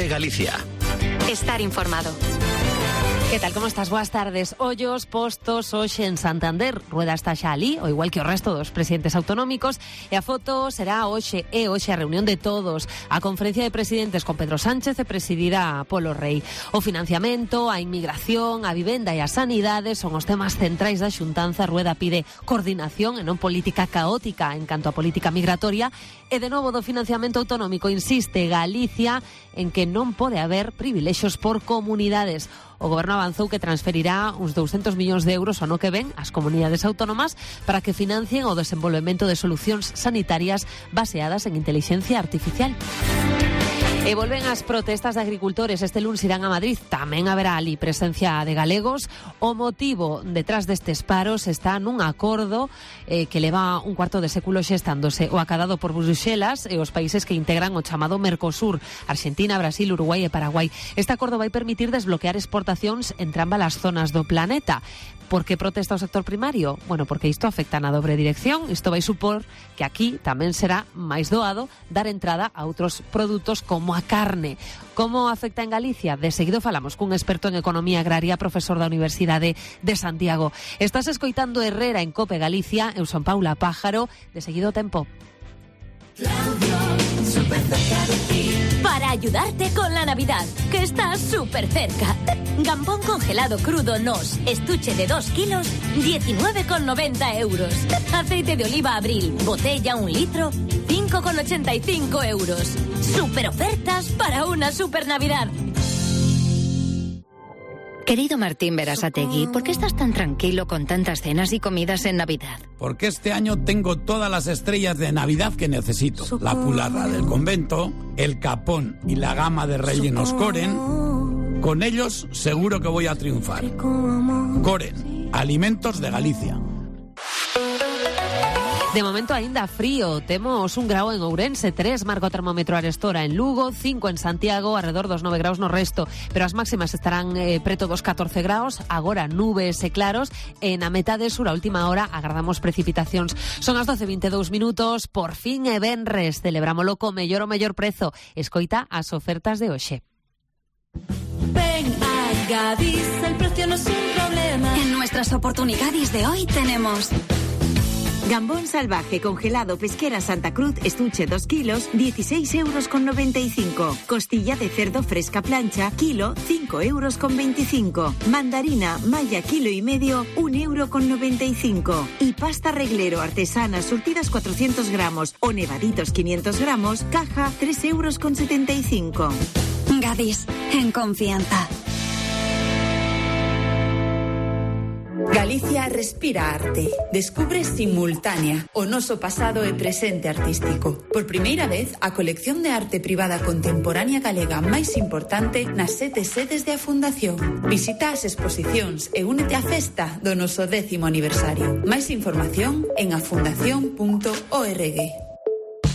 COPE Galicia. Estar informado. Que tal, como estás? Boas tardes. Ollos postos hoxe en Santander. Rueda está xa ali, o igual que o resto dos presidentes autonómicos, e a foto será hoxe a reunión de todos. A conferencia de presidentes con Pedro Sánchez e presidida polo Rei. O financiamento, a inmigración, a vivenda e a sanidade son os temas centrais da xuntanza. Rueda pide coordinación e non política caótica en canto a política migratoria. E de novo do financiamento autonómico insiste Galicia en que non pode haber privilexios por comunidades. O Goberno avanzou que transferirá uns 200 millóns de euros ao ano que ven ás comunidades autónomas para que financien o desenvolvemento de solucións sanitarias baseadas en inteligencia artificial. E volven as protestas de agricultores. Este luns irán a Madrid. Tamén haberá ali presencia de galegos. O motivo detrás destes paros está nun acordo que leva un cuarto de século xestándose. O acadado por Bruxelas e os países que integran o chamado Mercosur: Argentina, Brasil, Uruguai e Paraguai. Este acordo vai permitir desbloquear exportacións entre ambas as zonas do planeta. Por que protesta o sector primario? Bueno, porque isto afecta na dobre dirección. Isto vai supor que aquí tamén será máis doado dar entrada a outros produtos como a carne. Como afecta en Galicia? De seguido falamos cun experto en economía agraria, profesor da Universidade de Santiago. Estás escoitando Herrera en COPE Galicia. Eu son Paula Pájaro. De seguido tempo. Para ayudarte con la Navidad, que está súper cerca. Gambón congelado crudo Nos, estuche de 2 kilos, 19,90 euros. Aceite de oliva Abril, botella 1 litro, 5,85 euros. Super ofertas para una super Navidad. Querido Martín Berasategui, ¿por qué estás tan tranquilo con tantas cenas y comidas en Navidad? Porque este año tengo todas las estrellas de Navidad que necesito. La pularra del convento, el capón y la gama de rellenos Coren. Con ellos seguro que voy a triunfar. Coren, alimentos de Galicia. De momento aínda frío, temos 1 grao en Ourense, 3 marca o termómetro arestora en Lugo, 5 en Santiago, alrededor dos 9 graus no resto, pero as máximas estarán preto dos 14 graus, agora nubes e claros, e na metade sur a última hora agardamos precipitacións. Son as 12:22 minutos, por fin é venres, celebrámolo co mellor o mellor prezo. Escoita as ofertas de hoxe. Ven a Gadis, el precio no es un problema. En nuestras oportunidades de hoy tenemos gambón salvaje congelado pesquera Santa Cruz, estuche 2 kilos, 16,95 euros. Costilla de cerdo fresca plancha, kilo, 5,25 euros. Mandarina malla kilo y medio, 1,95 euros. Y pasta reglero artesana surtidas 400 gramos o nevaditos 500 gramos, caja 3,75 euros. Gadis, en confianza. Galicia respira arte. Descubre Simultánea, o noso pasado e presente artístico. Por primeira vez, a colección de arte privada contemporánea galega máis importante nas 7 sedes de a Fundación. Visita as exposicións e únete á festa do noso 10º aniversario. Máis información en afundación.org.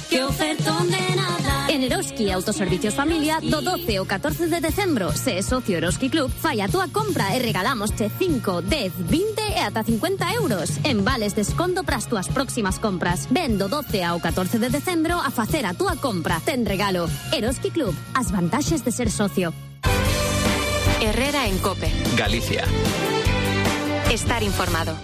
¡Qué ofertón de nada! En Eroski Autoservicios Familia, do 12 ao 14 de decembro, se é socio Eroski Club, fai a túa compra e regalámosche 5, 10, 20 e ata 50 euros en vales desconto para as túas próximas compras. Ven do 12 ao 14 de decembro a facer a túa compra. Ten regalo. Eroski Club, as vantaxes de ser socio. Herrera en COPE Galicia. Estar informado.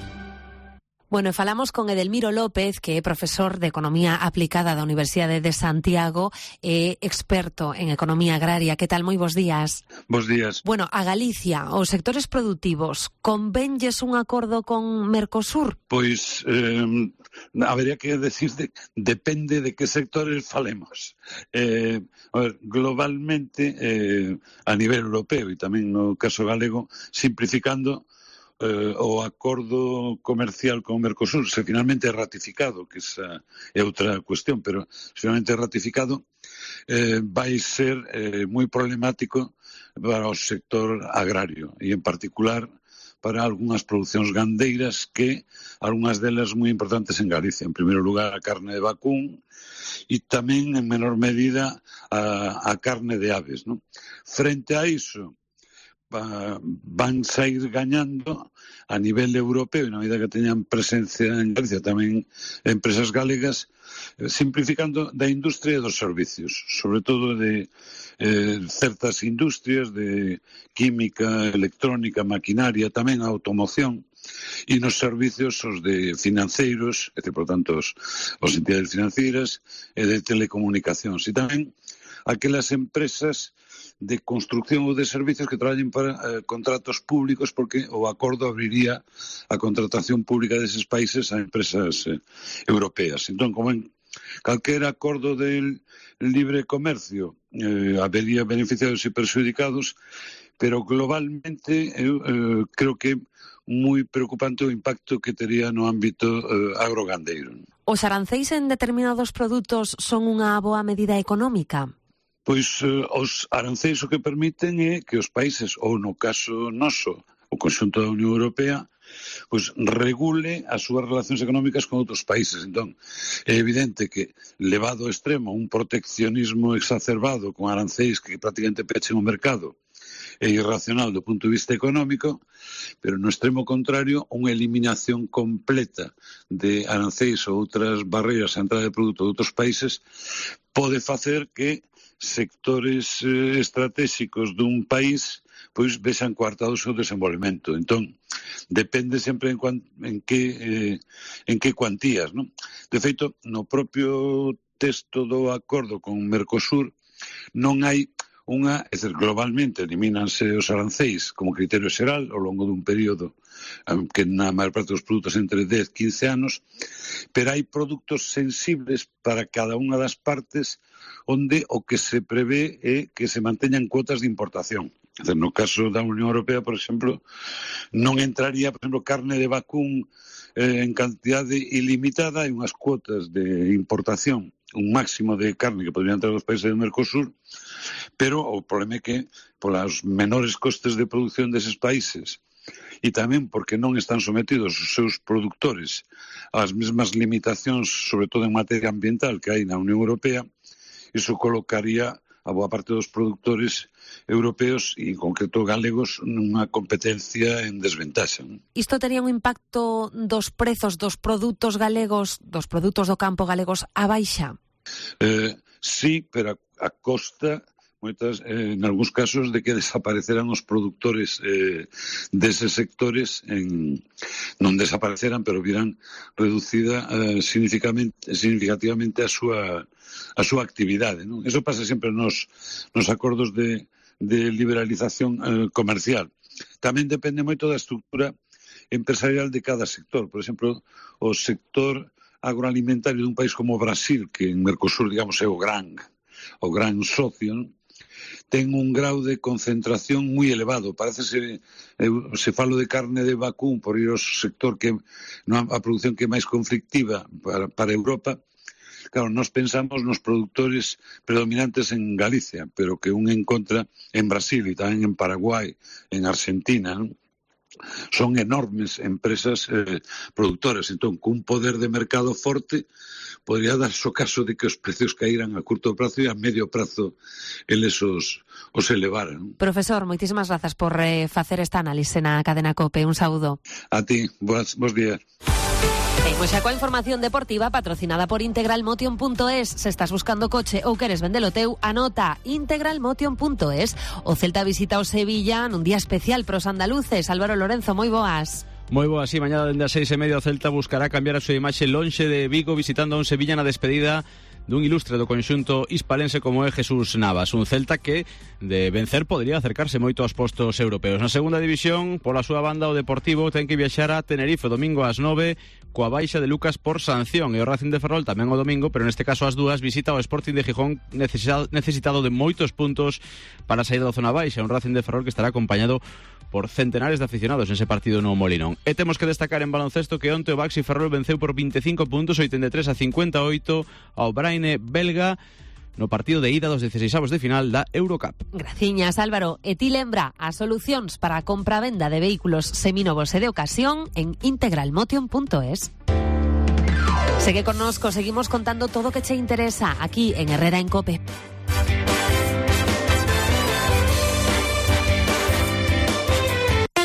Bueno, e falamos con Edelmiro López, que é profesor de Economía Aplicada da Universidade de Santiago e experto en economía agraria. Que tal? Moi bons días. Bos días. Bueno, a Galicia, os sectores produtivos, convenlles un acordo con Mercosur? Pois habería que decir depende de que sectores falemos. A ver, globalmente, a nivel europeo e tamén no caso galego, simplificando, o acordo comercial con Mercosur, se finalmente é ratificado, que esa é outra cuestión, pero se finalmente é ratificado, vai ser moi problemático para o sector agrario e en particular para algunhas producións gandeiras, que algunhas delas moi importantes en Galicia. En primeiro lugar, a carne de vacún e tamén en menor medida a carne de aves, non? Frente a iso, van sair gañando a nivel europeo, e na medida que teñan presencia en Galicia tamén empresas galegas, simplificando da industria e dos servicios, sobre todo de certas industrias de química, electrónica, maquinaria, tamén a automoción, e nos servicios os de financeiros, é dicir, por tanto, os entidades financeiras e de telecomunicacións, e tamén aquelas empresas de construcción ou de servicios que traballen para contratos públicos, porque o acordo abriría a contratación pública deses países a empresas europeas. Entón, como en calquera acordo del libre comercio, habería beneficiados e perxudicados, pero globalmente eu creo que moi preocupante o impacto que tería no ámbito agrogandeiro. Os aranceis en determinados produtos son unha boa medida económica? Pois os aranceis o que permiten é que os países, ou no caso noso, o conxunto da Unión Europea, pois regule as súas relacións económicas con outros países. Entón, é evidente que, levado ao extremo, un proteccionismo exacerbado con aranceis que prácticamente pechen o mercado é irracional do punto de vista económico, pero no extremo contrario, unha eliminación completa de aranceis ou outras barreiras á entrada de produto de outros países pode facer que sectores estratégicos dun país pois vexan coartado o seu desenvolvemento. Entón, depende sempre en que cuantías, non? De feito, no propio texto do acordo con Mercosur non hai unha, é dicir, globalmente elimínanse os aranceis como criterio xeral ao longo dun período que na maior parte dos produtos entre 10 e 15 anos, pero hai produtos sensibles para cada unha das partes onde o que se prevé é que se manteñan cuotas de importación. É dicir, no caso da Unión Europea, por exemplo, non entraría, por exemplo, carne de vacún en cantidade ilimitada e unhas cuotas de importación, un máximo de carne que podrían entrar os países do Mercosur, pero o problema é que polos menores costes de produción deses países e tamén porque non están sometidos os seus produtores ás mesmas limitacións, sobre todo en materia ambiental, que hai na Unión Europea, iso colocaría a boa parte dos produtores europeos e en concreto galegos nunha competencia en desventaxa. Isto tería un impacto dos prezos dos produtos galegos, dos produtos do campo galegos á baixa? Sí, pero a costa en algúns casos de que desapareceran os produtores deses sectores, non desapareceran, pero virán reducida significativamente a súa actividade, non? Eso pasa sempre nos acordos de liberalización comercial. Tamén depende moito da estructura empresarial de cada sector. Por exemplo, o sector agroalimentario dun país como Brasil, que en Mercosur, digamos, é o gran socio, non? Ten un grau de concentración moi elevado. Parece se falo de carne de vacún por ir ao sector que a produción que é máis conflictiva para Europa. Claro, nós pensamos nos produtores predominantes en Galicia, pero que un encontra en Brasil e tamén en Paraguai, en Argentina, non? Son enormes empresas productoras. Entón, cun poder de mercado forte, podría darse o caso de que os precios caíran a curto prazo e a medio prazo eles os elevaran. Profesor, moitísimas grazas por facer esta análise na cadena COPE. Un saúdo. A ti, bons días. Pois xa coa información deportiva patrocinada por integralmotion.es. Se estás buscando coche ou queres vendelo teu, anota integralmotion.es. O Celta visita o Sevilla nun día especial pros andaluces. Álvaro Lorenzo, moi boas. Moi boa, sí, mañana dende as 6:30 o Celta buscará cambiar a súa imaxe lonxe de Vigo, visitando a un Sevilla na despedida dun ilustre do conxunto hispalense como é Jesús Navas. Un Celta que, de vencer, podría acercarse moito aos postos europeos. Na segunda división, pola súa banda, o Deportivo ten que viaxar a Tenerife domingo ás 9 coa baixa de Lucas por sanción, e o Racing de Ferrol tamén o domingo, pero neste caso ás 2 visita o Sporting de Gijón necesitado de moitos puntos para sair da zona baixa. Un Racing de Ferrol que estará acompañado por centenares de aficionados nese partido no Molinón. E temos que destacar en baloncesto que onte o Baxi Ferrol venceu por 25 puntos, 83-58 ao Braine belga no partido de ida dos 16avos de final da Eurocup. Graciñas, Álvaro. E ti lembra as solucións para a compra-venda de vehículos seminovos e de ocasión en integralmotion.es. Segue connosco, seguimos contando todo o que che interesa aquí en Herrera en COPE.